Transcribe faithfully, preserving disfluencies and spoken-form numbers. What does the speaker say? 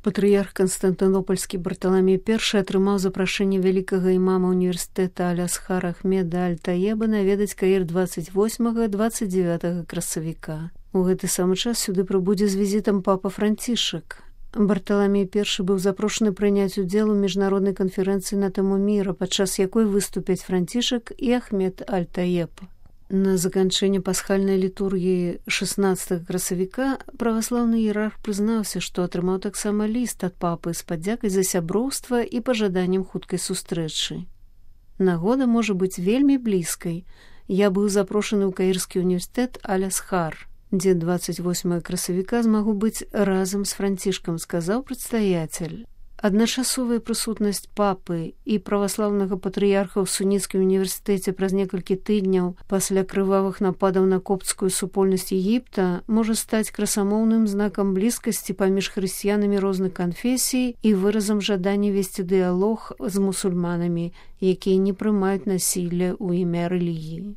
Патрыярх Канстантынопольскі Барталамей першы атрымаў запрашэнне вялікага імама універсітэта Аль-Асхара Ахмеда Аль-Таеба наведаць Каір дваццаць восьмага - дваццаць дзевятага красавіка. У гэты самы час сюды прыбудзе з візітам папа Францішак. Барталамей першы быў запрошаны прыняць удзел у міжнароднай канферэнцыі на тэму міра, падчас якой выступяць Францішак і Ахмед Аль-Таеб. На заканчэнне пасхальнай літургіі шаснаццатага красавіка праваслаўны іерарх прызнаўся, што атрымаў таксама ліст ад папы з падзякай за сяброўства і пажаданнем хуткай сустрэчы. Нагода можа быць вельмі блізкай. Я быў запрошаны ў Каірскі універсітэт Аль-Асхар, дзе дваццаць восьмага красавіка змагу быць разам з Францішкам, сказаў прадстаяцель. Адначасовая прысутнасць папы і праваслаўнага патрыярха ў суніцкім універсітэце праз некалькі тыдняў пасля крывавых нападаў на копцкую супольнасць Егіпта можа стаць красамоўным знакам блізкасці паміж хрысціянамі розных канфесій і выразам жадання весці дыялог з мусульманамі, якія не прымаюць насілля ў імя рэлігіі.